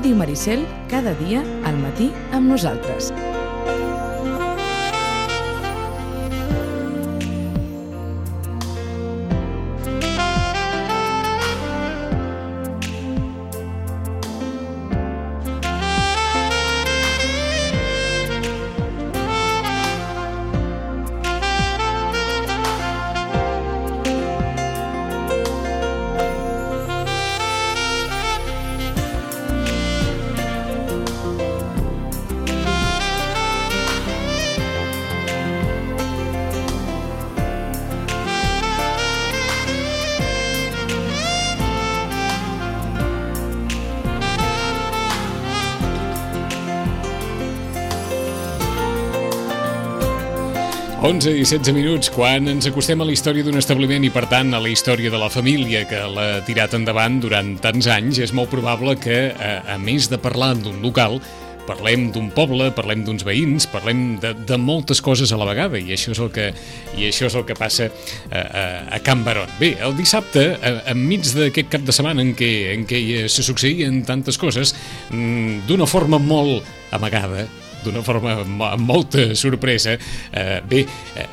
Ràdio Maricel, cada dia al matí amb nosaltres. Onze i 16 minuts, quan ens acostem a la història d'un establiment i, per tant, a la història de la família que l'ha tirat endavant durant tants anys, és molt probable que, a més de parlar d'un local, parlem d'un poble, parlem d'uns veïns, parlem de moltes coses a la vegada, i això és el que passa a Can Barón. Bé, el dissabte, enmig d'aquest cap de setmana en què se succeïen tantes coses, d'una forma molt amagada, d'una forma amb molta sorpresa,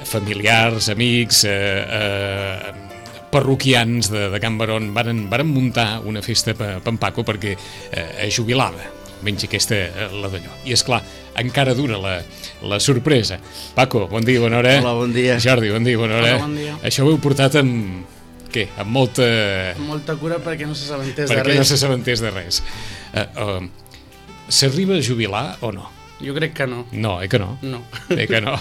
familiars, amics, parroquians de Can Barón varen muntar una festa per en Paco perquè es jubilava, menys aquesta la d'allò. I esclar, encara dura la sorpresa. Paco, bon dia, bona hora. Hola, bon dia. Jordi, bon dia, bona hora. Hola, bon dia. Això ho heu portat amb... Què? Amb molta... Amb molta cura perquè no s'assabentés de res. Perquè no s'assabentés de res. S'arriba a jubilar o no? Jo crec que no. No, que no? No. Que no.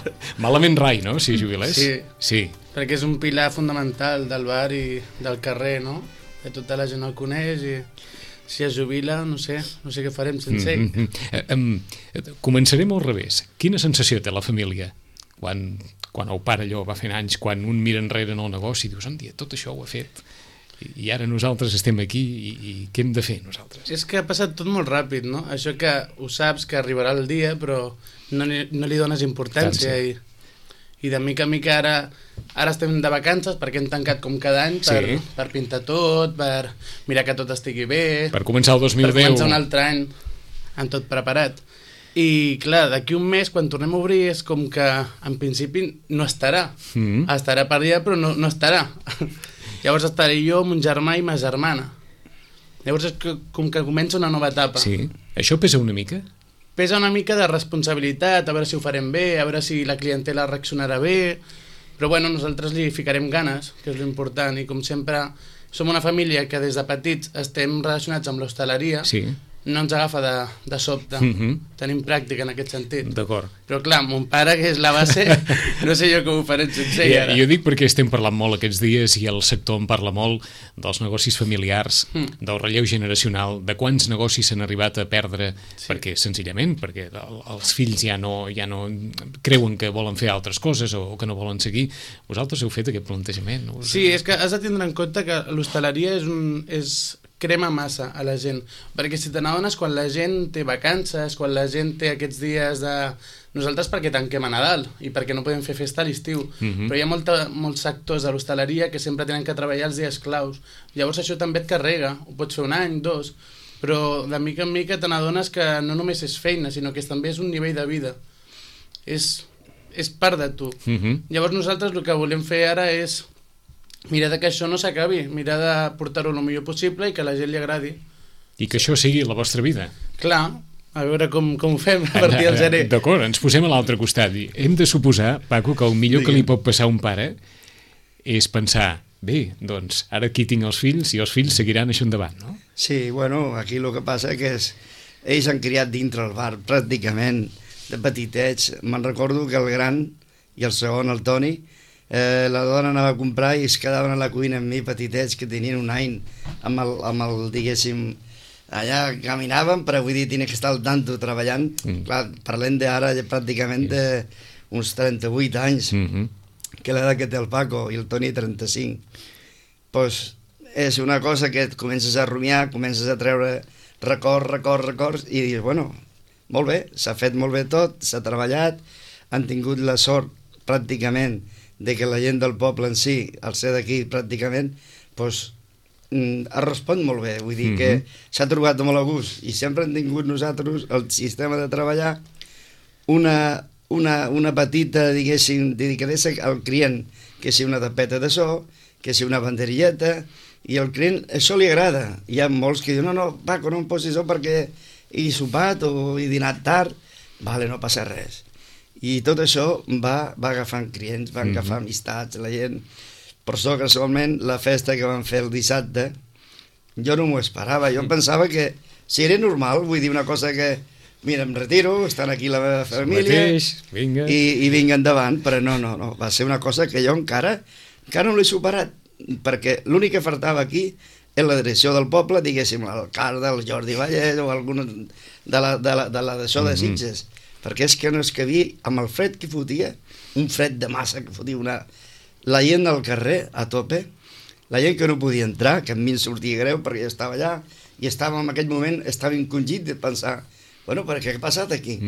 Malament rai, no?, si jubilés? Sí. Perquè és un pilar fundamental del bar i del carrer, no? Que tota la gent el coneix i si es jubila, no sé què farem sense ell. Començarem al revés. Quina sensació té la família quan el pare allò va fent anys, quan un mira enrere en el negoci i dius, on dia, tot això ho ha fet i ara nosaltres estem aquí i què hem de fer nosaltres? És que ha passat tot molt ràpid, no? Això que ho saps que arribarà el dia però no li dones importància i de mica en mica ara estem de vacances perquè hem tancat com cada any per pintar tot, per mirar que tot estigui bé, per començar el 2010, per començar un altre any amb tot preparat. I clar, d'aquí un mes quan tornem a obrir és com que en principi no estarà, estarà per allà però no estarà. Llavors estaré jo, mon germà i ma germana. Llavors és com que comença una nova etapa. Sí. Això pesa una mica? Pesa una mica de responsabilitat, a veure si ho farem bé, a veure si la clientela reaccionarà bé, però bueno, nosaltres li ficarem ganes, que és l'important, i com sempre som una família que des de petits estem relacionats amb l'hostaleria, no ens agafa de sobte, tenim pràctica en aquest sentit. D'acord. Però clar, mon pare, que és la base, no sé jo com ho faré sense ell ara. Jo dic perquè estem parlant molt aquests dies i el sector en parla molt dels negocis familiars, del relleu generacional, de quants negocis s'han arribat a perdre perquè els fills ja no creuen que volen fer altres coses o que no volen seguir. Vosaltres heu fet aquest plantejament? Sí, és que has de tindre en compte que l'hostaleria crema massa a la gent, perquè si te n'adones quan la gent té vacances, quan la gent té aquests dies de... Nosaltres perquè tanquem a Nadal i perquè no podem fer festa a l'estiu, però hi ha molts sectors de l'hostaleria que sempre tenen que treballar els dies claus, llavors això també et carrega, ho pots fer un any, dos, però de mica en mica te n'adones que no només és feina, sinó que també és un nivell de vida, és part de tu. Llavors nosaltres el que volem fer ara és mirar que això no s'acabi, mirar de portar-ho el millor possible i que a la gent li agradi. I que això sigui la vostra vida. Clar, a veure com ho fem a partir del gener. D'acord, ens posem a l'altre costat. Hem de suposar, Paco, que el millor que li pot passar a un pare és pensar, bé, doncs ara aquí tinc els fills i els fills seguiran això endavant, no? Sí, bueno, aquí el que passa que ells han criat dintre el bar pràcticament de petitets. Me'n recordo que el gran i el segon, el Toni, la dona anava a comprar i es quedaven a la cuina amb mi, petitets que tenien un any amb el diguéssim, allà caminaven, però vull dir, tenia que estar al tanto treballant. Clar, parlem d'ara pràcticament d'uns 38 anys, que l'edat que té el Paco i el Toni 35. Pues és una cosa que et comences a rumiar, comences a treure records i dius, bueno, molt bé, s'ha fet molt bé tot, s'ha treballat, han tingut la sort pràcticament de que la gent del poble en si, al ser d'aquí pràcticament, doncs, ha respon molt bé, vull dir que s'ha trobat molt a gust i sempre hem tingut nosaltres el sistema de treballar una petita, diguéssim, dedicadesa al client, que si una tapeta de so, que si una banderilleta, i al client això li agrada. Hi ha molts que diuen, no, Paco, no em posis so perquè he sopat o he dinat tard. Vale, no passa res. I tot això va agafant clients, va agafar amistats, la gent. Per això, casualment, la festa que vam fer el dissabte, jo no m'ho esperava. Jo pensava que, si era normal, vull dir una cosa que, mira, em retiro, estan aquí la meva família, vinga. I vinga endavant, però no, va ser una cosa que jo encara no l'he superat, perquè l'únic que faltava aquí és la direcció del poble, diguéssim, l'alcalde, el Jordi Vallès o algun de la d'això de Sitges, perquè és que no es cabia amb el fred que fotia, un fred de massa que fotia la gent del carrer a tope, la gent que no podia entrar, que a mi em sortia greu perquè jo estava allà i estava en aquell moment, estava encongit de pensar, bueno, però què ha passat aquí?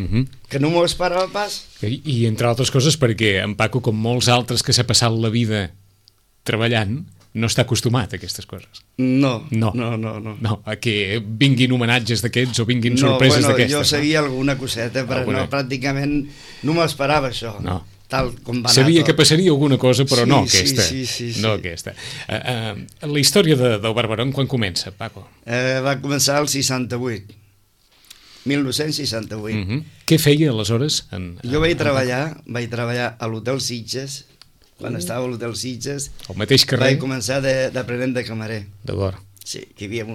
Que no m'ho esperava pas. I entre altres coses perquè en Paco, com molts altres que s'ha passat la vida treballant, no està acostumat a aquestes coses. No. No, a que vinguin homenatges d'aquests o vinguin sorpreses d'aquestes. Jo sabia alguna coseta, però pràcticament no m'esperava això. No. Tal com va Sabia que passaria alguna cosa, però no aquesta. Sí. No aquesta. La història del Barberón, quan comença, Paco? Va començar el 68. 1968. Què feia aleshores? Jo vaig treballar a l'Hotel Sitges, quan estava a l'Hotel Sitges. Al mateix carrer? Vaig començar d'aprenent de camarer. D'acord. Sí, que hi havia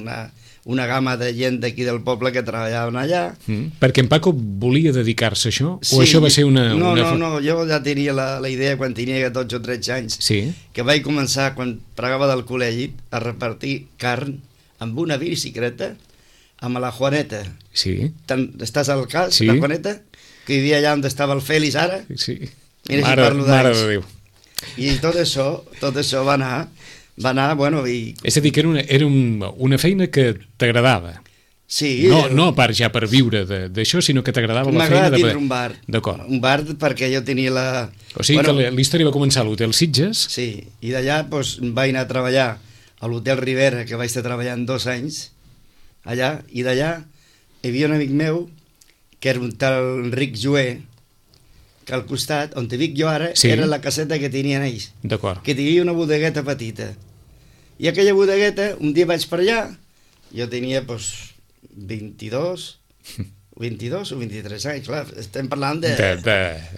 una gamma de gent d'aquí del poble que treballaven allà. Perquè en Paco volia dedicar-se a això? O això va ser una... No, jo ja tenia la idea quan tenia 12 o 13 anys, que vaig començar, quan pregava del col·legi, a repartir carn amb una bicicleta amb la Juaneta. Sí. Estàs al cas, la Juaneta? Que hi havia allà on estava el Fèlix ara? Sí. Mira si parlo d'anys. Mare de Déu. I tot això va anar, bueno... És a dir, que era una feina que t'agradava. Sí. No a part ja per viure d'això, sinó que t'agradava la feina de... M'agrada tindre un bar. D'acord. Un bar perquè jo tenia la... O sigui que la història va començar a l'Hotel Sitges. Sí, i d'allà vaig anar a treballar a l'Hotel Rivera, que vaig estar treballant 2 anys, allà, i d'allà hi havia un amic meu, que era un tal Enric Jué, que al costat, on te dic jo ara, era la caseta que tenien ells. D'acord. Que tenia una bodegueta petita. I aquella bodegueta, un dia vaig per allà, jo tenia, 22 o 23 anys, clar, estem parlant de...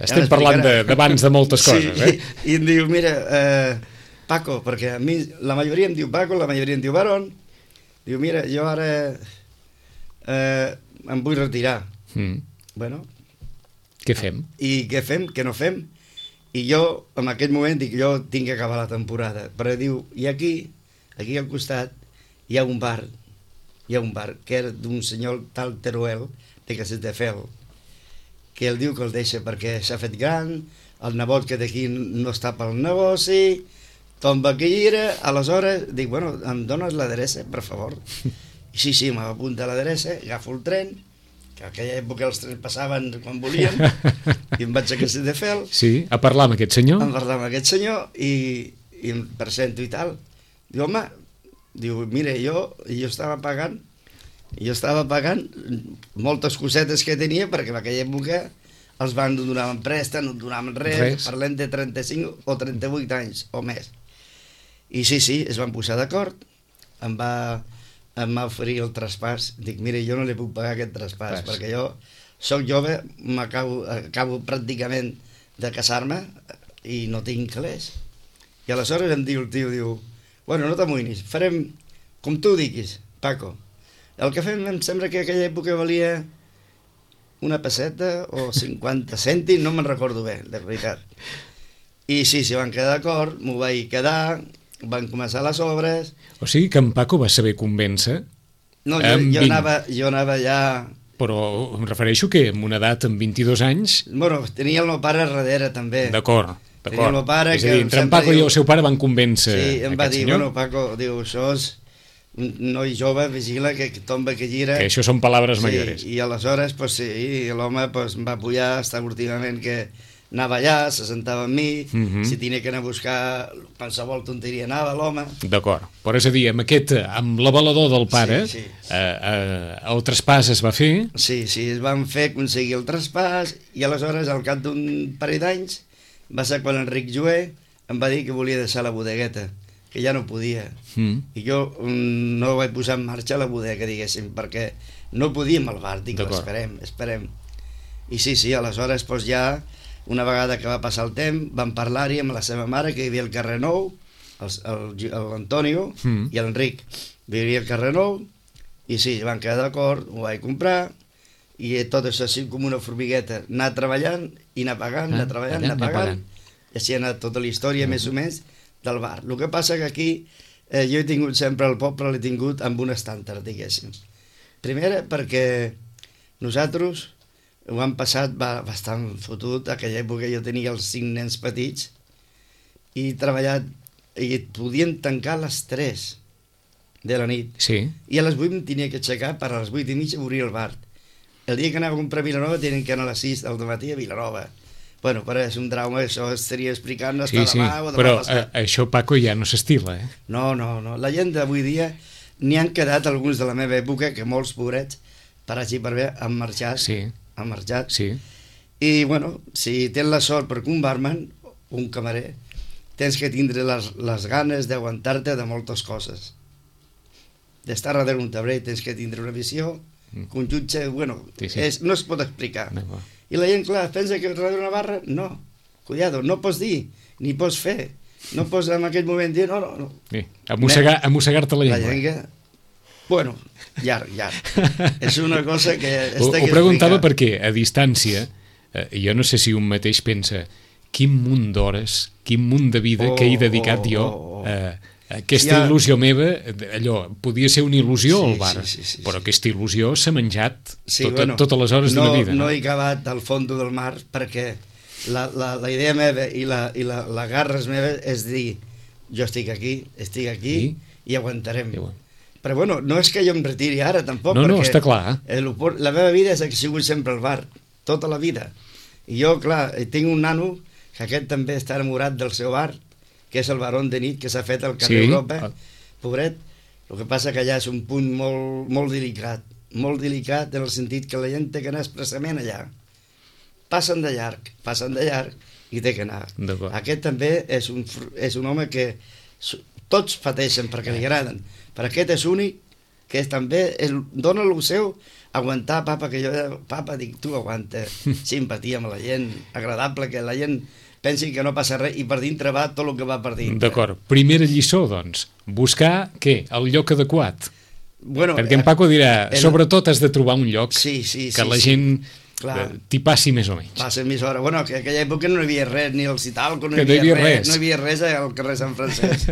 Estem parlant d'abans de moltes coses, sí, i em diu, mira, Paco, perquè a mi la majoria em diu Paco, la majoria em diu Barón, diu, mira, jo ara em vull retirar. Bueno, què fem? I què fem, què no fem? I jo, en aquell moment, dic, jo tinc que acabar la temporada. Però diu, i aquí al costat, hi ha un bar, que era d'un senyor tal Teruel, de Castelldefels, que ell diu que el deixa perquè s'ha fet gran, el nebot que d'aquí no està pel negoci, tomba que hi era, aleshores dic, bueno, em dones l'adreça, per favor? I sí, m'apunta a l'adreça, agafo el tren, que a aquella època els trens passaven quan volien, i em vaig a Castelldefels. Sí, a parlar amb aquest senyor? A parlar amb aquest senyor, i em presento i tal. Diu, home, mira, jo estava pagant moltes cosetes que tenia, perquè en aquella època els bancs no donaven préstec, no donaven res, parlem de 35 o 38 anys o més. I sí, es van posar d'acord, em va oferir el traspàs. Dic, mira, jo no li puc pagar aquest traspàs, perquè jo soc jove, acabo pràcticament de casar-me i no tinc calés. I aleshores em diu el tio, bueno, no t'amoïnis, farem com tu diguis, Paco. El que fem em sembla que aquella època valia una pesseta o 50 cèntims, no me'n recordo bé, de veritat. I sí, van quedar d'acord, m'ho vaig quedar, van començar les obres... O sigui que en Paco va saber convèncer... No, jo anava ja... Però em refereixo que amb una edat, amb 22 anys... Bueno, tenia el meu pare darrere també. D'acord. Tenia el meu pare... És a dir, entre en Paco i el seu pare van convèncer aquest senyor. Sí, em va dir, senyor. Bueno, Paco, diu, això és un noi jove, vigila, que tomba, que gira... Que això són paraules mayores. I aleshores, sí, l'home em va apoyar extraordinàriament, que anava allà, se sentava amb mi, si tenia que anar a buscar qualsevol tonteria anava l'home. D'acord, però és a dir, amb l'avalador del pare, el traspàs es va fer? Sí, es van fer aconseguir el traspàs i aleshores, al cap d'un parell d'anys, va ser quan Enric Joé em va dir que volia deixar la bodegueta, que ja no podia. I jo no vaig posar en marxa la bodega, diguéssim, perquè no podíem al bar, dic, esperem. I sí, aleshores doncs ja, una vegada que va passar el temps, vam parlar-hi amb la seva mare, que hi havia al carrer Nou, l'Antonio i l'Enric. Vivia al carrer Nou, i sí, van quedar d'acord, ho vaig comprar, i tot això així com una formigueta, anar treballant i anar pagant, anar treballant, anar pagant, i així ha anat tota la història, més o menys, del bar. El que passa que aquí jo he tingut sempre el poble, l'he tingut amb un estàndard, diguéssim. Primera, perquè nosaltres ho han passat bastant fotut. Aquella època jo tenia els 5 nens petits i he treballat, i podien tancar a les 3 de la nit. Sí. I a les 8 em tenia que aixecar per a les 8:30 obrir el bar. El dia que anava a comprar a Vilanova tenien que anar a les 6 del matí a Vilanova. Bueno, però és un trauma, això estaria explicant hasta demà o demà però passat. Això, Paco, ja no s'estila, eh? No. La gent d'avui dia n'hi han quedat alguns de la meva època que molts pobrets, per així per bé, han marxat. Han marxat. Sí. I, bueno, si tens la sort perquè un barman, un camarer, tens que tindre les ganes d'aguantar-te de moltes coses. D'estar darrere un tabler tens que tindre una visió, que un jutge, bueno, no es pot explicar. I la gent, clar, pensa que darrere una barra, no. Cuidado, no pots dir, ni pots fer. No pots en aquell moment dir, no. Sí. Amossegar-te la llengua. La llengua, bueno, llarg. És una cosa que ho preguntava perquè, a distància, jo no sé si un mateix pensa quin munt d'hores, quin munt de vida que he dedicat jo a aquesta il·lusió meva, allò, podia ser una il·lusió al bar, però aquesta il·lusió s'ha menjat totes les hores d'una vida. No he acabat al fons del mar perquè la idea meva i la garres meva és dir, jo estic aquí i aguantarem. Però bueno, no és que jo em retiri ara tampoc, no, està clar. La meva vida és que he sigut sempre al bar, tota la vida. I jo, clar, tinc un nano que aquest també està enamorat del seu bar, que és el Barón de Nit, que s'ha fet al carrer Europa, pobret. El que passa que allà és un punt molt delicat en el sentit que la gent té que anar expressament allà. Passen de llarg i té que anar. Aquest també és un home que tots pateixen perquè li agraden, però aquest és únic, que també dona el seu aguantar, papa, dic, tu aguanta, simpatia amb la gent, agradable, que la gent pensi que no passa res, i per dintre va tot el que va per dintre. D'acord. Primera lliçó, doncs, buscar, què? El lloc adequat. Perquè en Paco dirà, sobretot has de trobar un lloc que la gent t'hi passi més o menys. Passa més hora. Bueno, que en aquella època no hi havia res, ni el Citalco, no hi havia res al carrer Sant Francesc.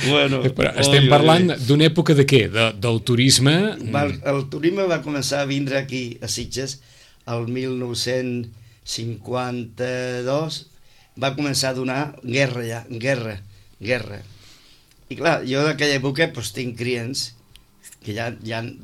Però estem parlant d'una època de què? Del turisme? El turisme va començar a vindre aquí, a Sitges, el 1952, va començar a donar guerra. I clar, jo d'aquella època tinc clients que ja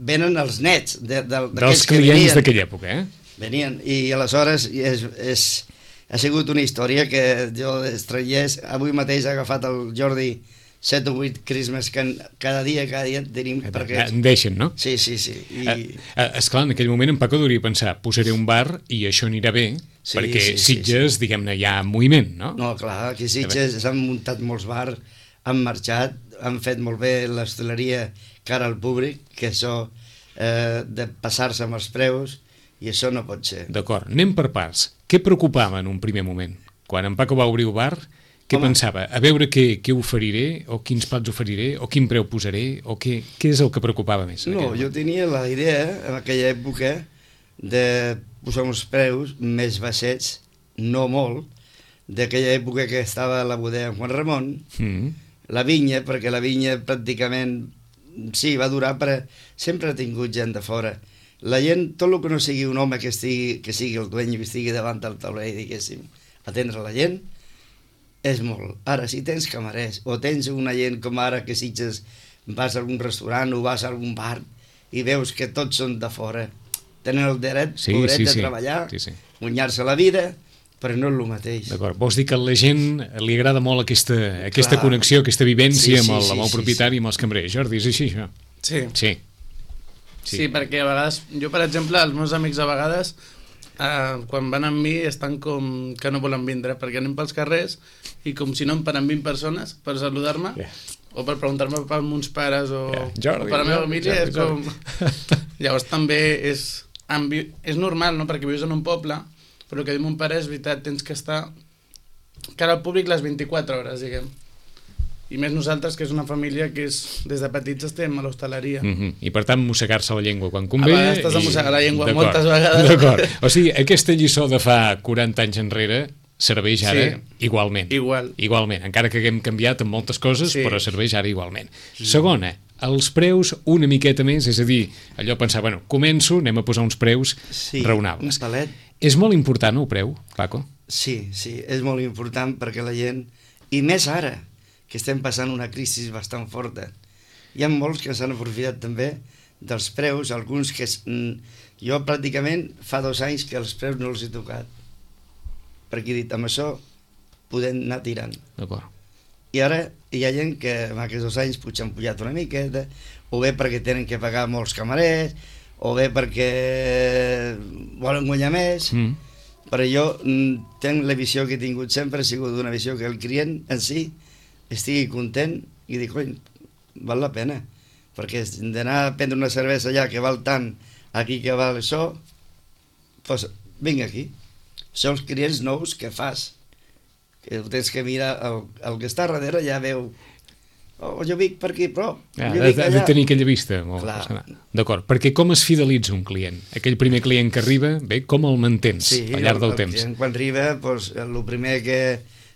venen els nets dels clients d'aquella època, venien, i aleshores ha sigut una història que jo estranyés. Avui mateix ha agafat el Jordi 7 o 8 crismes que cada dia tenim perquè... En deixen, no? Sí. Esclar, en aquell moment en Paco hauria pensar, posaré un bar i això anirà bé, perquè Sitges, diguem-ne, hi ha moviment, no? No, clar, aquí Sitges s'han muntat molts bars, han marxat, han fet molt bé l'hostaleria cara al públic, que això de passar-se amb els preus, i això no pot ser. D'acord, anem per parts. Què preocupava en un primer moment? Quan en Paco va obrir el bar, què pensava? A veure què oferiré, o quins plats oferiré, o quin preu posaré, o què és el que preocupava més? No, jo tenia la idea, en aquella època, de posar uns preus més baixets, no molt, d'aquella època que estava a la bodega en Juan Ramon, la vinya, perquè la vinya pràcticament sí, va durar, però sempre ha tingut gent de fora. La gent, tot el que no sigui un home que sigui el dueny i estigui davant del tauler, diguéssim, atendre la gent, és molt. Ara, si tens camarers, o tens una gent com ara que Sitges vas a algun restaurant o vas a algun bar i veus que tots són de fora, tenen el dret, pobret, de treballar, guanyar-se la vida, però no és el mateix. D'acord, vols dir que a la gent li agrada molt aquesta connexió, aquesta vivència amb el propietari i amb els cambrers. Jordi, és així, això? Sí, perquè a vegades, jo per exemple, els meus amics a vegades, quan van amb mi estan com que no volen vindre, perquè anem pels carrers i com si no em paren 20 persones per saludar-me, o per preguntar-me per meus pares o per la meva família, és com... Llavors també és normal, no?, perquè vius en un poble, però el que diu mon pare és veritat, tens que estar cara al públic les 24 hores, diguem. I més nosaltres, que és una família que des de petits estem a l'hostaleria. I per tant, mossegar-se la llengua quan convé... A vegades t'has de mossegar la llengua moltes vegades. D'acord. O sigui, aquesta lliçó de fa 40 anys enrere serveix ara igualment. Igualment, encara que haguem canviat en moltes coses, però serveix ara igualment. Segona, els preus una miqueta més, és a dir, allò pensar, bueno, començo, anem a posar uns preus raonables. Un palet. És molt important el preu, Paco? Sí, és molt important perquè la gent, i més ara, que estem passant una crisi bastant forta. Hi ha molts que s'han aprofitat també dels preus, alguns que... Jo pràcticament fa 2 anys que els preus no els he tocat, perquè he dit, amb això podem anar tirant. D'acord. I ara hi ha gent que en aquests 2 anys potser han pujat una miqueta, o bé perquè tenen que pagar molts camarers, o bé perquè volen guanyar més, però jo tenc la visió que he tingut sempre, ha sigut una visió que el client en si estigui content i dic, coi, val la pena, perquè d'anar a prendre una cervesa allà que val tant, aquí que val això, doncs vinc aquí. Són els clients nous que fas, que tens que mirar, el que està darrere ja veu, jo vic per aquí, però... Ha de tenir aquella vista. D'acord, perquè com es fidelitza un client? Aquell primer client que arriba, bé, com el mantens al llarg del temps? Quan arriba, el primer que...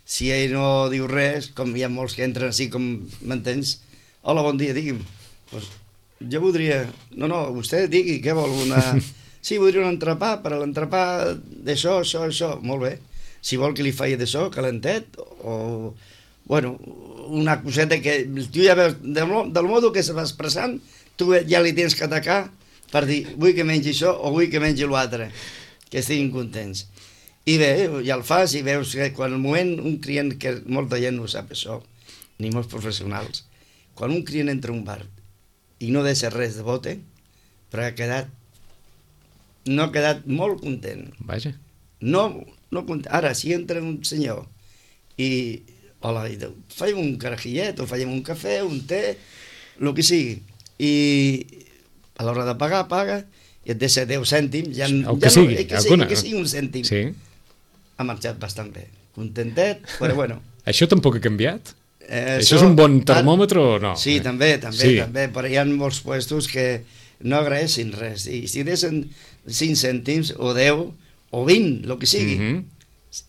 Si ell no diu res, com hi ha molts que entren així com m'entens, hola, bon dia, digui'm. Pues, jo voldria... No, vostè digui, què vol? Sí, voldria un entrepà, per a l'entrepà d'això, això. Molt bé. Si vol que li faci d'això, calentet, o... Bueno, una coseta que... Tu ja veus, del modo que se va expressant, tu ja li tens que atacar per dir, vull que mengi això o vull que mengi l'altre, que estiguin contents. I bé, ja el fas i veus que quan el moment un client, que molta gent no sap això, ni molts professionals, quan un client entra a un bar i no deixa res de bote, però no ha quedat molt content. Vaja. No content. Ara, si entra un senyor i, hola, i diu, faig un carajillet, o faig un cafè, un té, el que sigui, i a l'hora de pagar, paga, i et deixa 10 cèntims, que sigui un cèntim. Sí. Ha marxat bastant bé. Contentet, però bueno. Això tampoc ha canviat? Això és un bon termòmetre o no? Sí, també, però hi ha molts puestos que no agraeixin res. I si deixen 5 cèntims, o 10, o 20, el que sigui,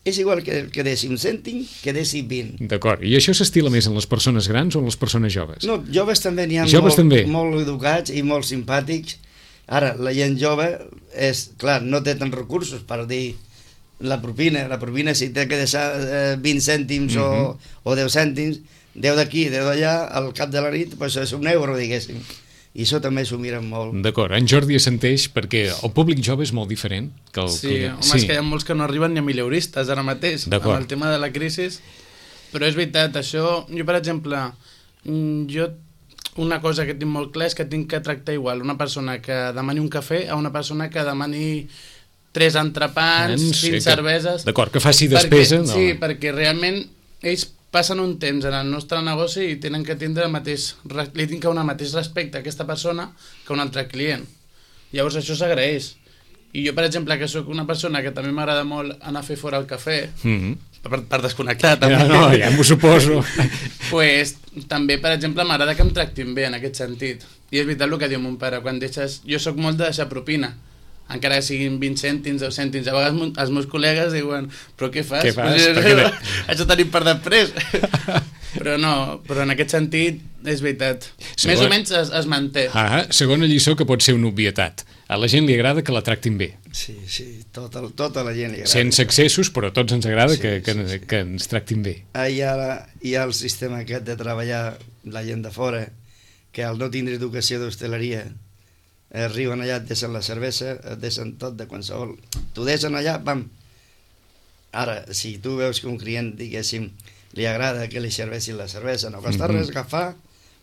és igual que deixi un cèntim que deixi 20. D'acord, i això s'estila més en les persones grans o en les persones joves? No, joves també n'hi ha molt educats i molt simpàtics. Ara, la gent jove, clar, no té tants recursos per dir la propina si té que deixar 20 cèntims o 10 cèntims, 10 d'aquí, 10 d'allà, al cap de la nit, doncs és un euro, diguéssim. I això també s'ho miren molt. D'acord, en Jordi assenteix perquè el públic jove és molt diferent. És que hi ha molts que no arriben ni a mileuristes ara mateix, amb el tema de la crisi, però és veritat, això, jo per exemple, una cosa que tinc molt clar és que tinc que tractar igual una persona que demani un cafè a una persona que demani 3 entrepans, 5 cerveses... D'acord, que faci despesa... Sí, perquè realment ells passen un temps en el nostre negoci i tenen que tindre li tinc que donar el mateix respecte a aquesta persona que a un altre client. Llavors això s'agraeix. I jo, per exemple, que sóc una persona que també m'agrada molt anar a fer fora el cafè, per desconnectar també. Ja m'ho suposo. Pues, també, per exemple, m'agrada que em tractin bé en aquest sentit. I és veritat el que diu mon pare, quan deixes... Jo sóc molt de deixar propina, encara que siguin 20 cèntims, 10 cèntims. A vegades els meus col·legues diuen, però què fas? Què fas? Això tenim per després. Però no, però en aquest sentit és veritat. Més o menys es manté. Segona lliçó que pot ser una obvietat. A la gent li agrada que la tractin bé. Sí, tota la gent li agrada. Sense excessos, però a tots ens agrada que ens tractin bé. Hi ha el sistema aquest de treballar la gent de fora, que al no tindre educació d'hostaleria arriben allà, et deixen la cervesa, et deixen tot de qualsevol... T'ho deixen allà, pam. Ara, si tu veus que un client, diguéssim, li agrada que li serveixin la cervesa, no costa res agafar,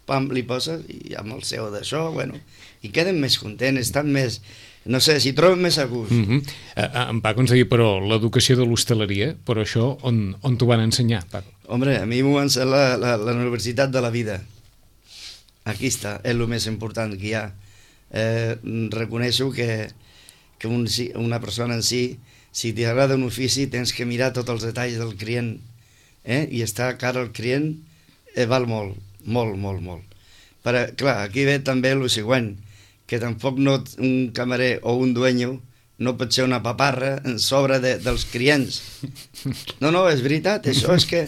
pam, li poses, i amb el seu d'això, bueno, i queden més contents, estan més... No sé, s'hi troben més a gust. En Paco ens deia, però, l'educació de l'hostaleria, però això on t'ho van ensenyar, Paco? Hombre, a mi m'ho va ensenyar la Universitat de la Vida. Aquí està, és el més important que hi ha. Reconeixo que una persona en si t'agrada un ofici, tens que mirar tots els detalls del client, i estar a cara al client val molt, molt, molt, molt. Però, clar, aquí ve també el següent, que tampoc un camarer o un dueño no pot ser una paparra en sobre dels clients. No, és veritat, això és que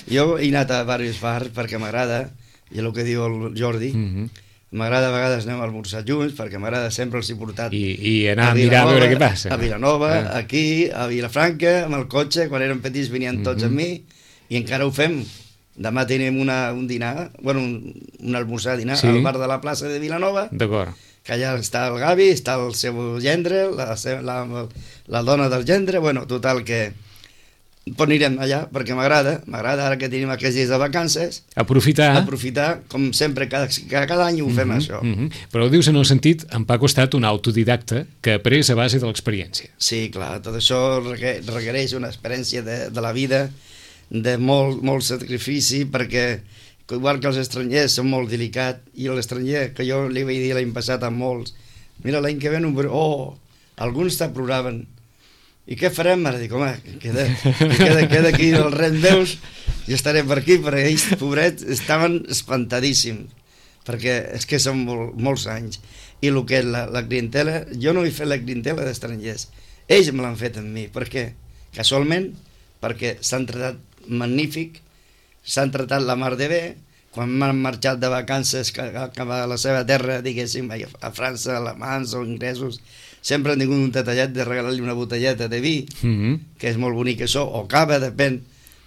jo he anat a diversos bars perquè m'agrada, i el que diu el Jordi, m'agrada a vegades anem a almorzar junts, perquè m'agrada, sempre els he portat I anar a mirar a veure què passa. A Vilanova, aquí, a Vilafranca, amb el cotxe, quan érem petits venien tots amb mi, i encara ho fem. Demà tenim un dinar, bueno, un almorzar-dinar al bar de la plaça de Vilanova. D'acord. Que allà està el Gavi, està el seu gendre, la dona del gendre, bueno, total que anirem allà perquè m'agrada ara que tenim aquests dies de vacances, aprofitar, com sempre, cada any ho fem això. Però ho dius en el sentit, en Paco ha estat un autodidacta que ha après a base de l'experiència. Sí, clar, tot això requereix una experiència de la vida, de molt sacrifici, perquè igual que els estrangers són molt delicats, i l'estranger, que jo li vaig dir l'any passat a molts, mira, l'any que ve alguns t'aprovaven, i què farem ara? Dic, home, queda aquí el res meus, i estaré per aquí, perquè ells, pobrets, estaven espantadíssims, perquè és que són molts anys, i el que és la clientela, jo no he fet la clientela d'estrangers, ells me l'han fet amb mi, perquè casualment, perquè s'han tratat magnífic, s'han tratat la mar de bé, quan m'han marxat de vacances cap a la seva terra, diguéssim, a França, alemans o inglesos, sempre han tingut un detallet de regalar-li una botelleta de vi, que és molt bonic això, o cava, depèn.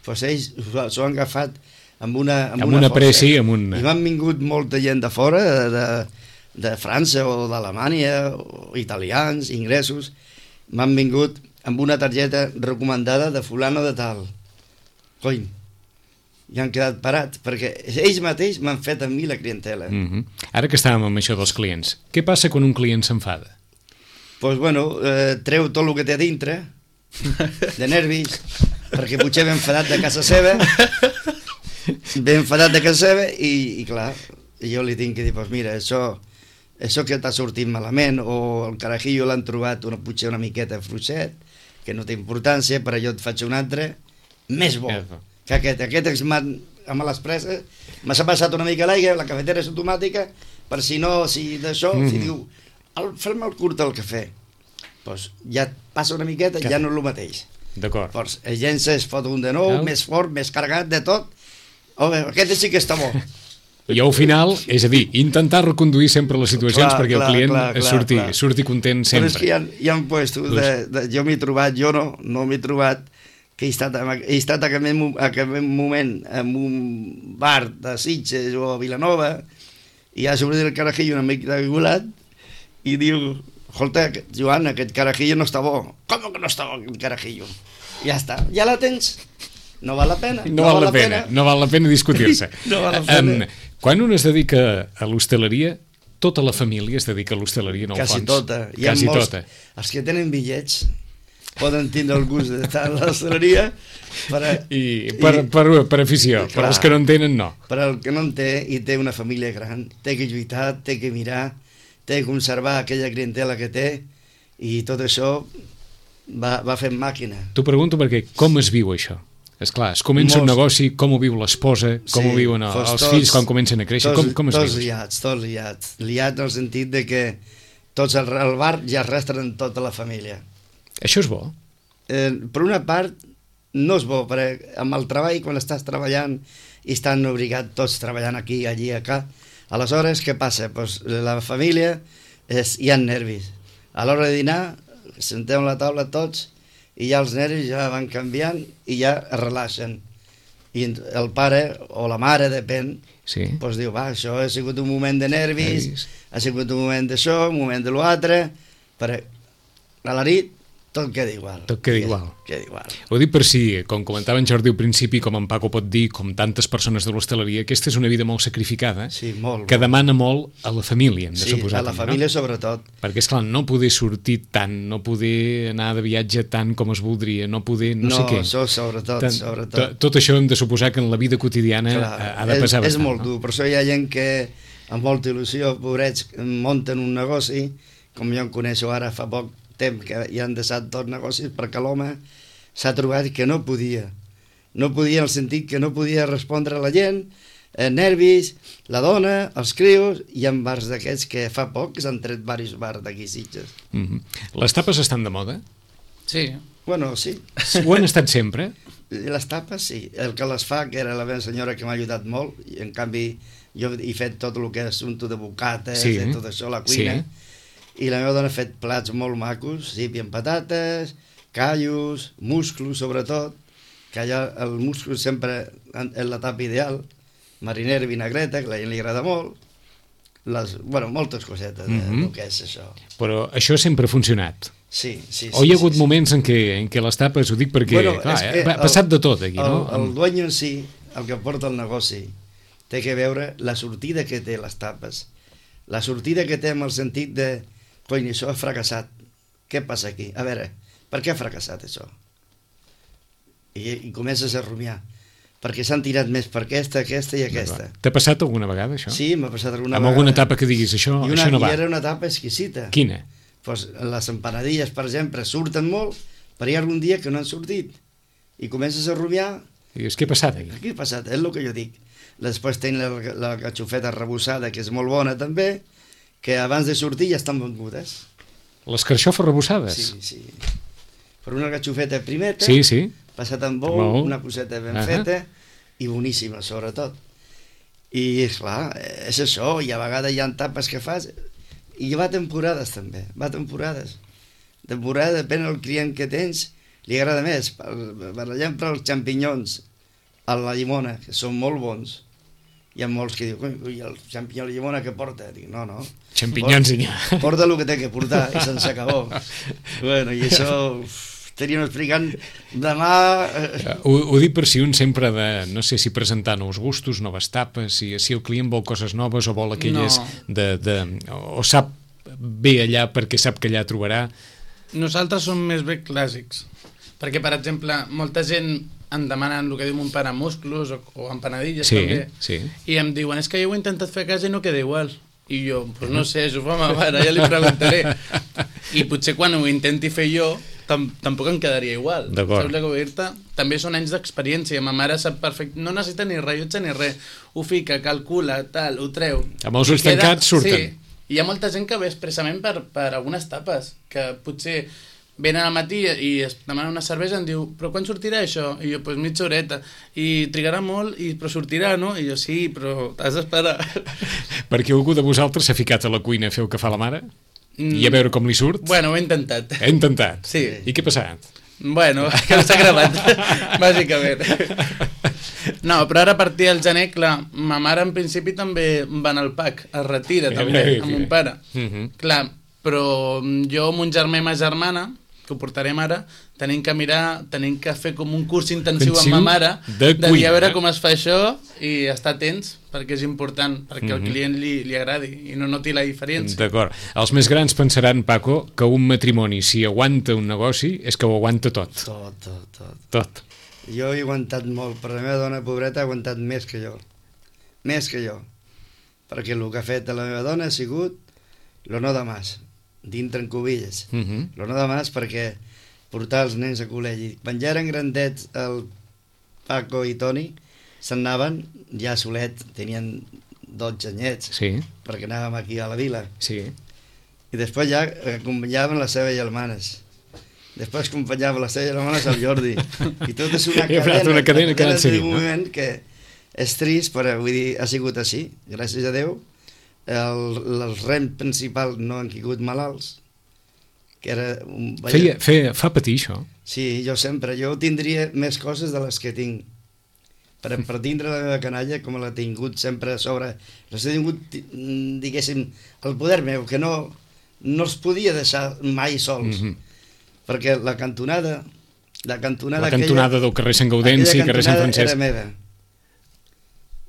Doncs ells s'ho han agafat amb una pressi, i m'han vingut molta gent de fora, de França o d'Alemanya, o italians, inglesos, m'han vingut amb una targeta recomandada de fulano de tal. Coi, i han quedat parats, perquè ells mateix m'han fet a mi la clientela. Ara que estàvem amb això dels clients, què passa quan un client s'enfada? Doncs, bueno, treu tot el que té a dintre, de nervis, perquè potser ve enfadat de casa seva, i clar, jo li tinc que dir, doncs mira, això que t'ha sortit malament, o el carajillo l'han trobat potser una miqueta fluixet, que no té importància, però jo et faig un altre, més bo. Que aquest amb les preses m'ha passat una mica l'aigua, la cafetera és automàtica, per si d'això, si diu, fem-me el curt del cafè, doncs ja passa una miqueta i ja no és el mateix. D'acord. Doncs el gent es fot un de nou, més fort, més carregat de tot, home, aquest sí que està bo. I al final, és a dir, intentar reconduir sempre les situacions perquè el client surti content sempre. Però és que hi ha puestos, jo m'he trobat, jo no m'he trobat, que he estat a aquest moment en un bar de Sitges o a Vilanova, i ha sortit el carajillo una mica regulat i diu, escolta, Joan, aquest carajillo no està bo. Com que no està bo aquest carajillo? Ja està, ja la tens. No val la pena. No val la pena discutir-se. No val la pena. Quan un es dedica a l'hostaleria, tota la família es dedica a l'hostaleria, en el fons. Quasi tota. Els que tenen bitllets poden tindre el gust d'estar a l'hostaleria per afició, però els que no en tenen no. Però el que no en té i té una família gran, té que lluitar, té que mirar, té que conservar aquella clientela que té, i tot això va fent màquina. T'ho pregunto perquè com es viu això? Esclar, es comença un negoci, com ho viu l'esposa, com ho viuen els fills quan comencen a créixer, com es viu? Tots liats en el sentit de que tots al bar ja arrastren tota la família. Això és bo? Per una part, no és bo, perquè amb el treball, quan estàs treballant i estan obligats tots treballant aquí, allí, acá, aleshores, què passa? Pues la família hi ha nervis. A l'hora de dinar, sentem a la taula tots i ja els nervis ja van canviant i ja es relaxen. i el pare o la mare, depèn, Sí. doncs diu, va, això ha sigut un moment de nervis, ha sigut un moment d'això, un moment de l'altre, però a la nit tot queda igual. Tot queda igual. Queda igual. Ho dic per si, com comentava en Jordi al principi, com en Paco pot dir, com tantes persones de l'hostaleria, aquesta és una vida molt sacrificada, Sí, molt. que demana molt a la família, hem de Sí, suposar. a la també, família no? sobretot. Perquè, esclar, no poder sortir tant, no poder anar de viatge tant com es voldria, no poder no sé què. Això sobretot. Tot això hem de suposar que en la vida quotidiana ha de pesar és bastant. molt dur, per això hi ha gent que amb molta il·lusió, pobrets, munten un negoci, com jo en coneixo ara fa poc temps que hi han deixat dos negocis perquè l'home s'ha trobat que no podia en el sentit que no podia respondre a la gent, nervis, la dona, els crios, i en bars d'aquests que fa poc s'han tret diversos bars d'aquí Sitges. Les tapes estan de moda? Sí. Bueno, sí, Ho han estat sempre? les tapes sí, el que les fa, que era la meva senyora que m'ha ajudat molt, i en canvi jo he fet tot el que és assumpte de bocates, Sí. de tot això, la cuina, Sí. i la meva dona ha fet plats molt macos, sípia amb patates, callos, musclos sobretot, que allà el musclo sempre és la tapa ideal, marinera i vinagreta, que a la gent li agrada molt, moltes cosetes del que és això. Però això sempre ha funcionat. Sí. O hi ha hagut moments en què les tapes, ho dic perquè, clar, és que ha passat de tot aquí, no? El dueño en si, el que porta el negoci, té que veure la sortida que té les tapes. La sortida que té amb el sentit de, coi, això ha fracassat. Què passa aquí? A veure, per què ha fracassat això? I comences a rumiar. Perquè s'han tirat més per aquesta i aquesta. T'ha passat alguna vegada, això? Sí, m'ha passat alguna Amb vegada. alguna etapa que diguis, això no va. I era una etapa exquisita. Quina? Pues les empanadilles, per exemple, surten molt, però hi ha algun dia que no han sortit. I comences a rumiar. I dius, què ha passat aquí? Què ha passat? És el que jo dic. Després tenen la catxofeta arrebossada, que és molt bona també, que abans de sortir ja estan vengudes. Les carxofes rebossades? Sí. Per una catxofeta primeta, Sí. passat amb bou, una coseta ben feta, i boníssima, sobretot. I, esclar, és això, i a vegades hi ha tapes que fas, i va temporades també, Temporada, depèn del client que tens, li agrada més. Per exemple, els xampinyons a la llimona, que són molt bons. Hi ha molts que diuen, ui, el xampinyó a la llimona que porta? Dic, no. Xampinyons i porta el que té que portar, i se'n s'acabó. Bueno, i això estaríem explicant demà. Ho dic per si un sempre ha de, no sé si presentar nous gustos, noves tapes, si el client vol coses noves o vol aquelles o sap bé allà perquè sap que allà trobarà. Nosaltres som més bé clàssics, perquè, per exemple, molta gent em demanen el que diu mon pare, musclos o empanadilles també, i em diuen, és que jo ho he intentat fer a casa i no queda igual. I jo, pues no sé, això ho fa ma mare, ja li preguntaré. I potser quan ho intenti fer jo, tampoc em quedaria igual. Saps el que vull dir-te? També són anys d'experiència, ma mare sap perfecte, no necessita ni rellotge ni res, ho fica, calcula, tal, ho treu. Amb els ulls tancats surten. Sí, hi ha molta gent que ve expressament per algunes tapes, que potser venen al matí i es demanen una cervesa i em diu, però quan sortirà això? I jo, doncs mitja horeta. I trigarà molt, però sortirà, no? I jo, sí, però t'has d'esperar. Perquè algú de vosaltres s'ha ficat a la cuina a fer el que fa la mare? I a veure com li surt? Bueno, ho he intentat. He intentat? Sí. I què ha passat? Bueno, que s'ha gravat, bàsicament. No, però ara a partir del gener, clar, ma mare en principi també va anar al PAC, es retira també, amb mon pare. Clar, però jo, mon germà i ma germana, que ho portarem ara, tenim que fer com un curs intensiu amb ma mare, de dir a veure com es fa això i estar atents, perquè és important, perquè al client li agradi i no noti la diferència. D'acord. Els més grans pensaran, Paco, que un matrimoni, si aguanta un negoci, és que ho aguanta tot. Tot. Jo he aguantat molt, però la meva dona, pobreta, ha aguantat més que jo. Més que jo. Perquè el que ha fet la meva dona ha sigut lo no de más, dintre en cubilles. Lo no de más perquè portar els nens a col·legi. Quan ja eren grandets el Paco i Toni, se'n anaven ja solet, tenien 12 anyets, perquè anàvem aquí a la vila. I després ja acompanyaven les seves germanes. Després acompanyava les seves germanes al Jordi. I tot és una cadena que ha anat seguint. Un moment que és trist, però vull dir, ha sigut així, gràcies a Déu. Els rems principals no han caigut malalts, que era fa patir això? Sí, jo tindria més coses de les que tinc, per tindre la meva canalla, com l'ha tingut sempre a sobre, l'ha tingut, diguéssim, el poder meu, que no els podia deixar mai sols, perquè la cantonada del carrer Sant Gaudenci i carrer Sant Francesc era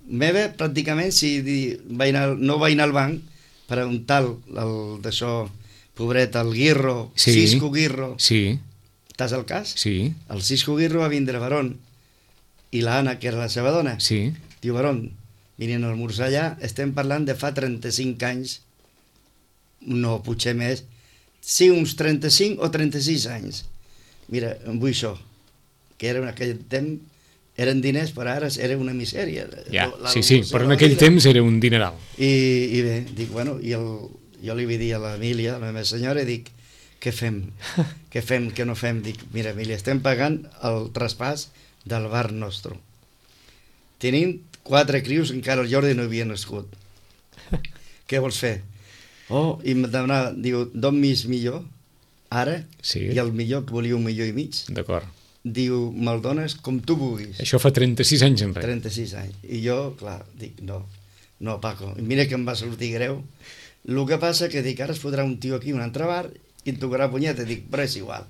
meva pràcticament. Si no vaig anar al banc per a un tal d'això, pobret, el Guirro, Cisco Guirro, estàs al cas? Sí. El Cisco Guirro va vindre a Barón i l'Anna, que era la seva dona, diu: Barón, vinien a almorzar allà, estem parlant de fa 35 anys, no, potser més, sí, uns 35 o 36 anys. Mira, em vull això, que era en aquell temps, eren diners, però ara era una misèria. Ja, sí, però en aquell temps era un dineral. I bé, dic, bueno, jo li vaig dir a l'Emília, a la meva senyora, i dic, què fem? Què fem, què no fem? Dic, mira, Emília, estem pagant el traspàs del bar nostre. Tenim 4 crios, encara el Jordi no havia nascut. Què vols fer? Oh, i em demanava, diu, d'on millor, ara, i el millor, que volia 1,5 milions. D'acord. Diu, me'l dones com tu vulguis. Això fa 36 anys enrere. 36 anys. I jo, clar, dic, no, Paco. I mira que em va sortir greu. El que passa que dic, ara es fotrà un tio aquí, un altre bar, i em tocarà punyeta. Dic, però és igual.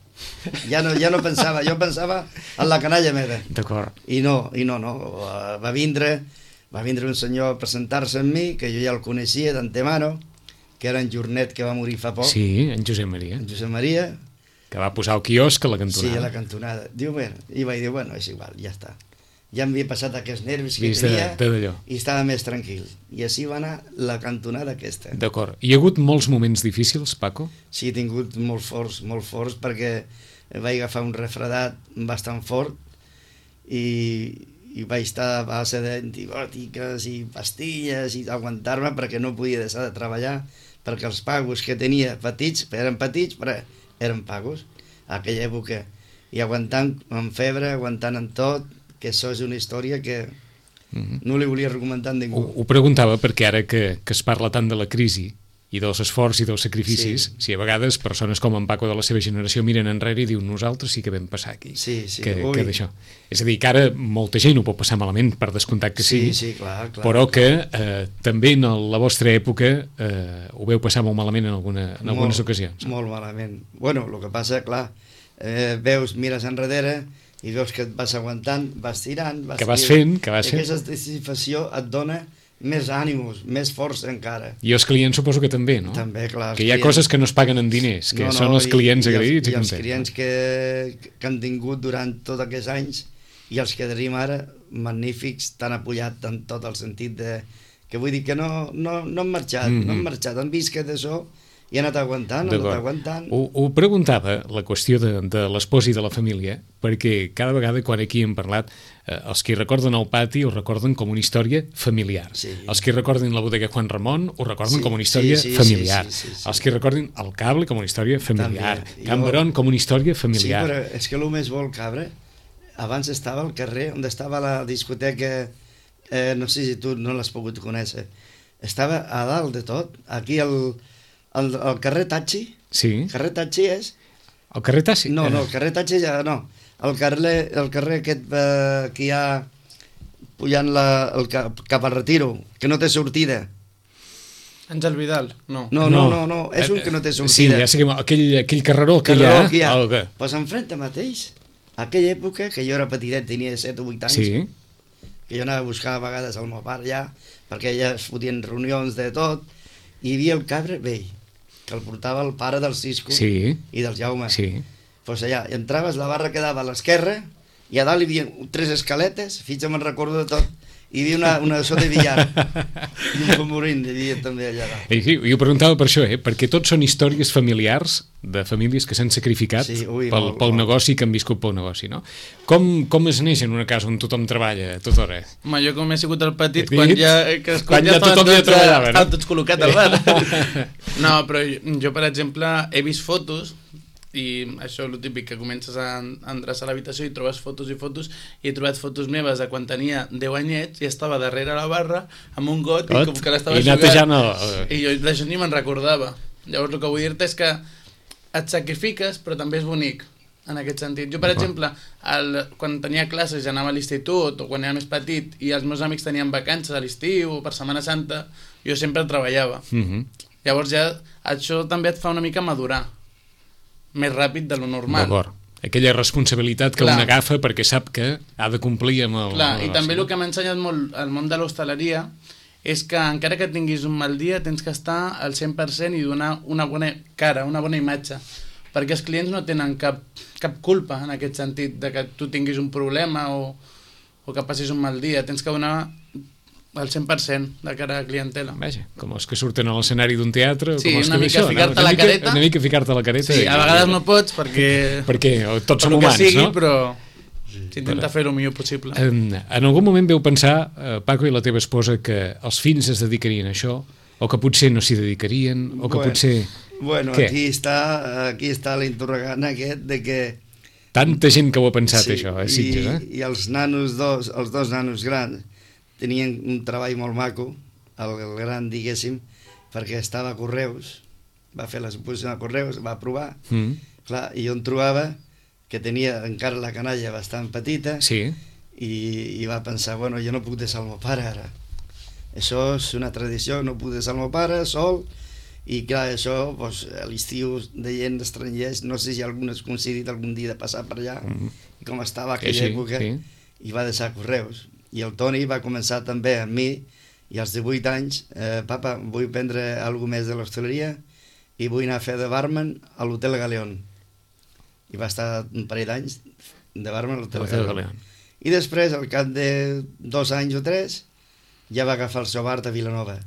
Ja no pensava, jo pensava en la canalla meva. D'acord. I no. Va vindre un senyor a presentar-se amb mi, que jo ja el coneixia d'antemano, que era en Jornet, que va morir fa poc. Sí, en Josep Maria. En Josep Maria. Que va posar el quiosc a la cantonada. Sí, a la cantonada. Diu, bueno, i vaig dir, bueno, és igual, ja està. Ja m'havia passat aquests nervis que tenia i estava més tranquil. I així va anar la cantonada aquesta. D'acord. Hi ha hagut molts moments difícils, Paco? Sí, he tingut molt forts, perquè vaig agafar un refredat bastant fort i vaig estar a base d'antibòtiques i pastilles i aguantar-me perquè no podia deixar de treballar, perquè els pagos que tenia eren petits, però eren pagos a aquella època, i aguantant amb febre, aguantant amb tot, que això és una història que no li volia recomendar a ningú. Ho preguntava perquè ara que es parla tant de la crisi i dels esforços i dels sacrificis, si a vegades persones com en Paco de la seva generació miren enrere i diuen, nosaltres sí que vam passar aquí. Que d'això. És a dir, que ara molta gent ho pot passar malament, per descomptat que sí, clar, però que també en la vostra època ho veu passar molt malament en algunes ocasions. Molt malament. Bueno, el que passa, clar, mires enrere i veus que et vas aguantant, vas tirant, que vas fent. Aquesta satisfacció et dona més ànims, més força encara. I els clients suposo que també, no? També, clar. Que hi ha coses que no es paguen en diners, que són els clients agraïts i contents. I els clients que han tingut durant tots aquests anys i els que tenim ara, magnífics, t'han apoyat en tot el sentit de... que vull dir que no han marxat, han vist que d'això i ha anat aguantant. Ho preguntava, la qüestió de l'espòs i de la família, perquè cada vegada quan aquí hem parlat, els que recorden el pati ho recorden com una història familiar. Els que recorden la bodega Juan Ramon ho recorden com una història familiar. Els que recorden el cable com una història familiar. Can Barón com una història familiar. Sí, però és que el més bo el Cabra, abans estava al carrer on estava la discoteca, no sé si tu no l'has pogut conèixer, estava a dalt de tot, aquí al carrer Tachi. Sí. El carrer Tachi és... El carrer Tachi? No, el carrer Tachi ja no. El carrer aquest que hi ha pujant cap al Retiro, que no té sortida. Àngel Vidal, no. No, és un que no té sortida. Sí, ja sé que aquell carreró que hi ha... Doncs enfrente mateix, aquella època, que jo era petitet, tenia 7 o 8 anys, que jo anava a buscar a vegades al meu pare allà, perquè allà es fotien reunions de tot, i hi havia el Cabra vell, que el portava el pare del Cisco i del Jaume. Doncs allà, entraves, la barra quedava a l'esquerra, i a dalt hi havia 3 escaletes, fins que me'n recordo de tot, hi havia una so de billar, i un pomorín hi havia també allà dalt. Sí, jo preguntava per això, perquè tots són històries familiars, de famílies que s'han sacrificat pel negoci, que han viscut pel negoci, no? Com es neix en una casa on tothom treballa a tota hora? Home, jo com he sigut el petit, quan ja tothom ja treballava, no? Estaven tots col·locats al bar. No, però jo, per exemple, he vist fotos, i això és el típic, que comences a endreçar l'habitació i trobes fotos i fotos, i he trobat fotos meves de quan tenia 10 anyets i estava darrere la barra amb un got i com que l'estava jugant i jo d'això ni me'n recordava. Llavors el que vull dir-te és que et sacrifiques però també és bonic, en aquest sentit. Jo, per exemple, quan tenia classes i anava a l'institut o quan era més petit i els meus amics tenien vacances a l'estiu o per Setmana Santa, jo sempre treballava. Llavors ja això també et fa una mica madurar més ràpid de lo normal. D'acord. Aquella responsabilitat que un agafa perquè sap que ha de complir amb el... Clar, i també el que m'ha ensenyat molt el món de l'hostaleria és que encara que tinguis un mal dia tens que estar al 100% i donar una bona cara, una bona imatge, perquè els clients no tenen cap culpa en aquest sentit de que tu tinguis un problema o que passis un mal dia. Tens que donar el 100% de cara a la clientela. Vaja, com els que surten a l'escenari d'un teatre... Sí, com els una que mica ficar-te la careta. Una mica ficar-te la careta. Sí, a vegades no pots perquè... Perquè tots som humans, sigui, no? Però s'intenta fer el millor possible. En algun moment veu pensar, Paco i la teva esposa, que els fills es dedicarien a això, o que potser no s'hi dedicarien, o que potser... Bueno, què? aquí està l'interrogant aquest de que... Tanta gent que ho ha pensat, això, a Sitges, I els nanos els dos nanos grans tenien un treball molt maco, el gran, diguéssim, perquè estava a Correus, va fer l'exposició a Correus, va provar, clar, i jo em trobava que tenia encara la canalla bastant petita, i va pensar, bueno, jo no puc deixar el meu pare ara. Això és una tradició, no puc deixar el meu pare sol, i clar, això, doncs, a l'estiu de gent estrangers, no sé si algun has coincidit algun dia de passar per allà, i com estava aquella època, i va deixar Correus. I el Toni va començar també amb mi, i als 18 anys, papa, vull prendre alguna més de l'hostaleria i vull anar a fer de barman a l'Hotel Galeón. I va estar un parell d'anys de barman a l'Hotel Galeón. I després, al cap de 2 anys o 3, ja va agafar el seu bar de Vilanova,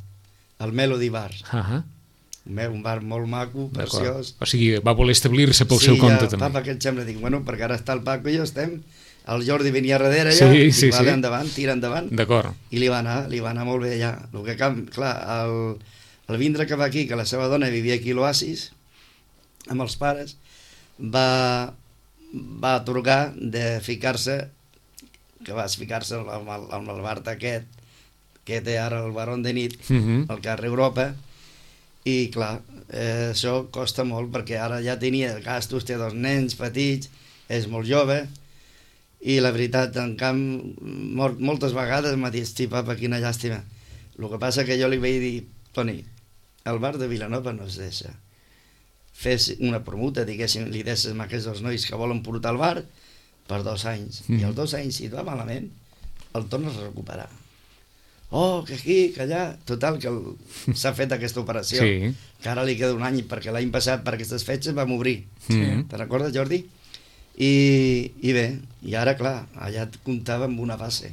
el Melody Bar. Un bar molt maco, preciós. O sigui, va voler establir-se pel seu compte també. Papa, què et sembla? Dic, bueno, perquè ara està el Paco i jo estem... El Jordi venia darrere allà, vale, endavant, tira endavant. D'acord. I li va anar molt bé allà. El que, clar, el vindre que va aquí, que la seva dona vivia aquí a l'Oasis, amb els pares, va atorgar de ficar-se, que vas ficar-se amb el bar aquest, que té ara el Barón de Nit, al carrer Europa, i clar, això costa molt, perquè ara ja tenia gastos, té 2 nens petits, és molt jove, i la veritat, en camp, moltes vegades m'ha dit, sí, papa, quina llàstima. El que passa que jo li vaig dir, Toni, el bar de Vilanova no es deixa. Fes una permuta, diguéssim, li deixes a aquests 2 nois que volen portar al bar per 2 anys. I els 2 anys, si et va malament, el tornes a recuperar. Oh, que aquí, que allà... Total, que s'ha fet aquesta operació. Que ara li queda 1 any, perquè l'any passat, per aquestes fetges, vam obrir. Te'n recordes, Jordi? I bé, i ara, clar, allà et comptava amb una base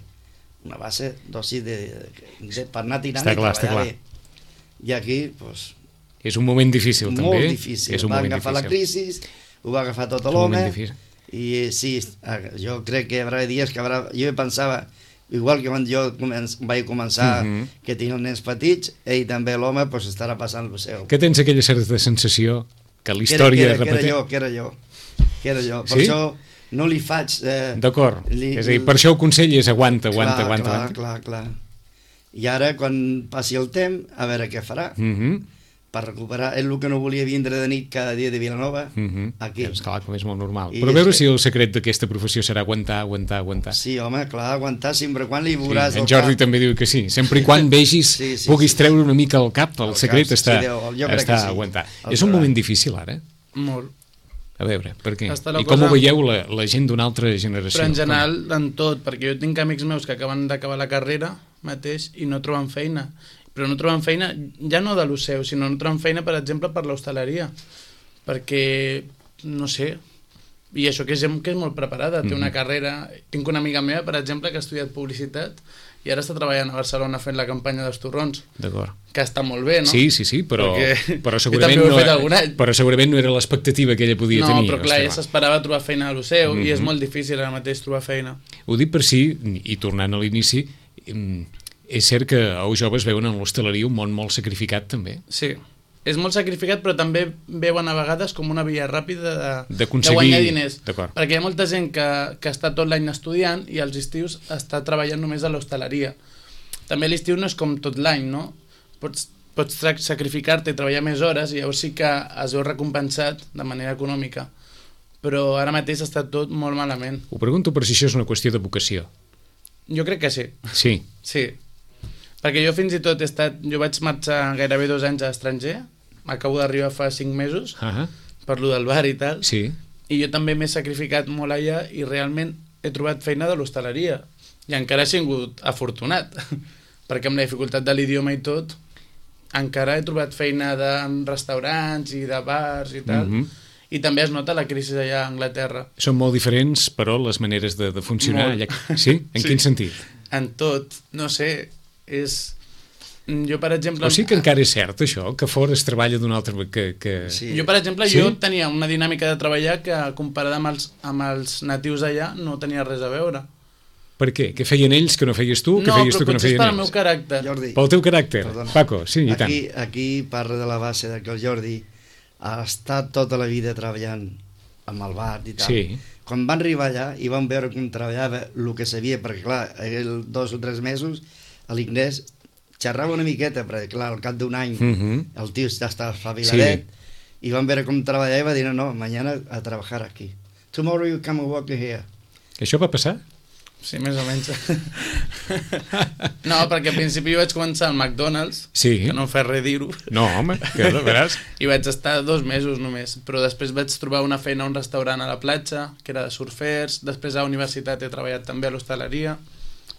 dosi per anar tirant i treballar bé. I aquí, doncs... És un moment difícil, també. Molt difícil. Va agafar la crisi, ho va agafar tot l'home, i sí, jo crec que hi haurà dies que jo pensava, igual que quan jo vaig començar, que tenia els nens petits, ell també, l'home, estarà passant el seu. Que tens aquella certa sensació que la història... Que era jo. Per això no li faig... D'acord, és a dir, per això el consell és aguanta. Clar. I ara, quan passi el temps, a veure què farà. Per recuperar, és el que no volia vindre de nit cada dia de Vilanova, aquí. És clar, com és molt normal. Però a veure si el secret d'aquesta professió serà aguantar. Sí, home, clar, aguantar, sempre quan li veuràs... En Jordi també diu que sí, sempre i quan vegis, puguis treure una mica el cap, el secret està a aguantar. És un moment difícil, ara? Molt. A veure, per què? I com ho veieu la gent d'una altra generació? Però en general, en tot, perquè jo tinc amics meus que acaben d'acabar la carrera mateix i no troben feina. Però no troben feina, ja no de l'Oceu, sinó no troben feina, per exemple, per l'hostaleria. Perquè, no sé, i això que és molt preparada, té una carrera... Tinc una amiga meva, per exemple, que ha estudiat publicitat i ara està treballant a Barcelona fent la campanya dels torrons. D'acord. Que està molt bé, no? Sí, però segurament no era l'expectativa que ella podia tenir. No, però clar, ella s'esperava trobar feina a l'Oceu i és molt difícil ara mateix trobar feina. Ho dic per si, i tornant a l'inici, és cert que els joves veuen en l'hostaleria un món molt sacrificat, també. Sí, és molt sacrificat, però també veuen a vegades com una via ràpida de guanyar diners. Perquè hi ha molta gent que està tot l'any estudiant i als estius està treballant només a l'hostaleria. També l'estiu no és com tot l'any, no? Pots sacrificar-te i treballar més hores i llavors sí que es veu recompensat de manera econòmica. però ara mateix està tot molt malament. Ho pregunto per si això és una qüestió de vocació. Jo crec que sí. Sí. Sí. Perquè jo fins i tot jo vaig marxar gairebé 2 anys a l'estranger, acabo d'arribar fa 5 mesos, per lo del bar i tal, Sí. i jo també m'he sacrificat molt allà i realment he trobat feina de l'hostaleria. I encara he sigut afortunat, perquè amb la dificultat de l'idioma i tot, encara he trobat feina en restaurants i de bars i tal, i també es nota la crisi allà a Anglaterra. Són molt diferents, però, les maneres de funcionar. Molt. Allà... Sí? En quin sentit? En tot, no sé, jo per exemple... O sigui que encara és cert això, que fora es treballa d'una altra... Sí. Jo per exemple, Sí? jo tenia una dinàmica de treballar que comparada amb els natius allà no tenia res a veure. Per què? Què feien ells que no feies tu? Què feies tu que no potser és feien per al meu ells? caràcter. Jordi, Pel teu caràcter, perdona. Paco, sí, i tant. Aquí parla de la base de que el Jordi ha estat tota la vida treballant amb el bar i tal. Sí. Quan van arribar allà i van veure com treballava el que sabia, perquè clar, 2 o 3 mesos a l'ingrés xerrava una miqueta, perquè clar, al cap d'un any el tio ja estava espaviladet, i van veure com treballava i va dir, no, mañana a trabajar aquí. Tomorrow you come and work here. Això va passar? Sí, més o menys. No, perquè al principi jo vaig començar al McDonald's, Sí. que no em fa res dir-ho, No, home, que veràs. i vaig estar 2 mesos només, però després vaig trobar una feina a un restaurant a la platja, que era de surfers, després a la universitat he treballat també a l'hostaleria,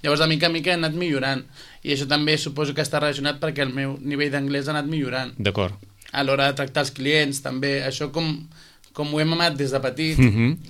llavors de mica en mica he anat millorant, i això també suposo que està relacionat perquè el meu nivell d'anglès ha anat millorant. D'acord. A l'hora de tractar els clients també, això com ho hem amat des de petit,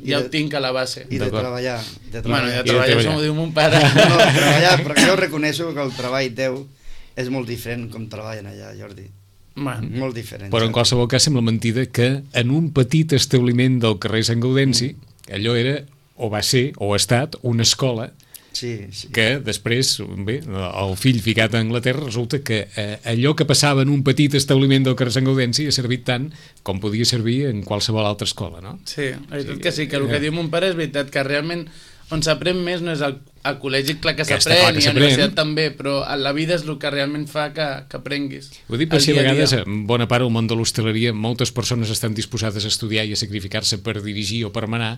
ja ho tinc a la base. I de treballar. Bueno, I de de treballar, treballar. això m'ho diu mon pare. No, treballar, però jo reconeixo que el treball teu és molt diferent com treballen allà, Jordi. Bueno, Molt diferent. Però en qualsevol cas sembla mentida que en un petit establiment del carrer Sant Gaudenci allò era, o va ser, o ha estat, una escola Sí, sí. que després, bé, el fill ficat a Anglaterra, resulta que allò que passava en un petit establiment del carrer Sant Gaudenci ha servit tant com podia servir en qualsevol altra escola, no? sí, la veritat que sí, que el que diu mon pare és veritat, que realment on s'aprèn més no és al col·legi, clar que Que està clar s'aprèn, que i a la s'aprèn. universitat també, però a la vida és el que realment fa que aprenguis. Ho dic per El si a dia vegades, dia. en bona part del món de l'hostaleria, moltes persones estan disposades a estudiar i a sacrificar-se per dirigir o per manar,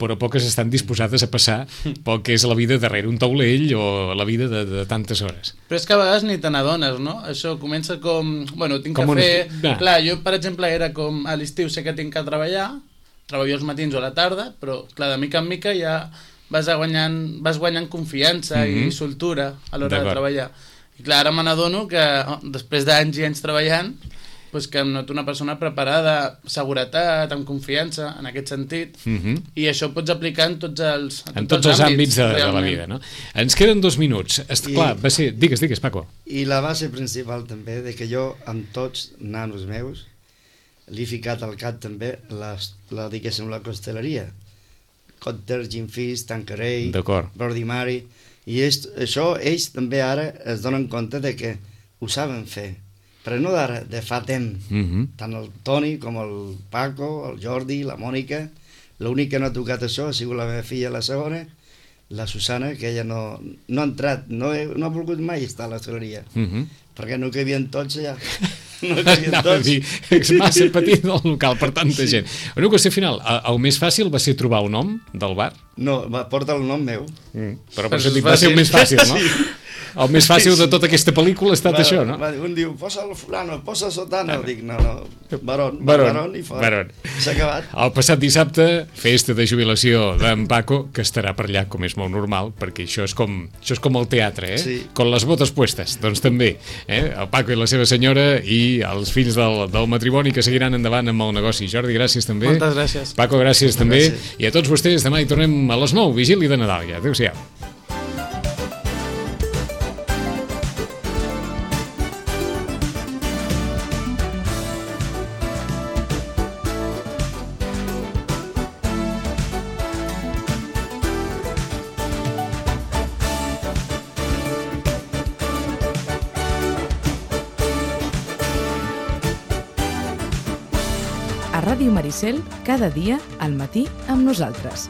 però poques estan disposades a passar pel que és la vida darrere un taulell o la vida de tantes hores. Però és que a vegades ni te n'adones, no? Això comença com... Bueno, tinc Com que una- fer... Va. Clar, jo, per exemple, era com a l'estiu sé que tinc que treballo els matins o a la tarda, però, clar, de mica en mica ja vas guanyant confiança i soltura a l'hora de D'acord. treballar. I clar, ara me n'adono que després d'anys i anys treballant, pues que em noto una persona preparada, seguretat, amb confiança, en aquest sentit, i això ho pots aplicar en tots els àmbits de la realment. vida, no? Ens queden 2 minuts. Clar, va ser... Digues, Paco. I la base principal també, de que jo amb tots nanos meus li he ficat al cap també diguéssim, la costeleria. Cotter, Gin Fish, Tanqueray, D'acord. Bloody Mary, i això ells també ara es donen compte de que ho saben fer, però no d'ara, de fa temps. Tant el Toni com el Paco, el Jordi, la Mònica, l'únic que no ha tocat això ha sigut la meva filla, la segona, la Susana, que ella no ha entrat, no ha volgut mai estar a l'hostaleria, perquè no cabien tots allà. No cabien Anava a tots. dir, és massa petit el local per tanta gent. Una qüestió final, el més fàcil va ser trobar un nom del bar? No, porta el nom meu. Però per Però sentit, és va ser el fàcil. més fàcil, no? El més fàcil de tota aquesta pel·lícula ha estat això, no? Un diu, posa el fulano, posa el sotano. Dic, no, Barón i fora. Barón. S'ha acabat. El passat dissabte, festa de jubilació d'en Paco, que estarà per allà, com és molt normal, perquè això és com el teatre, Sí. Con les botes puestes, doncs també. El Paco i la seva senyora i els fills del matrimoni que seguiran endavant amb el negoci. Jordi, gràcies també. Moltes gràcies. Paco, gràcies també. Gràcies. I a tots vostès, demà hi tornem a les 9, vigília de Nadal ja. Adéu-siau. A Ràdio Maricel, cada dia al matí amb nosaltres.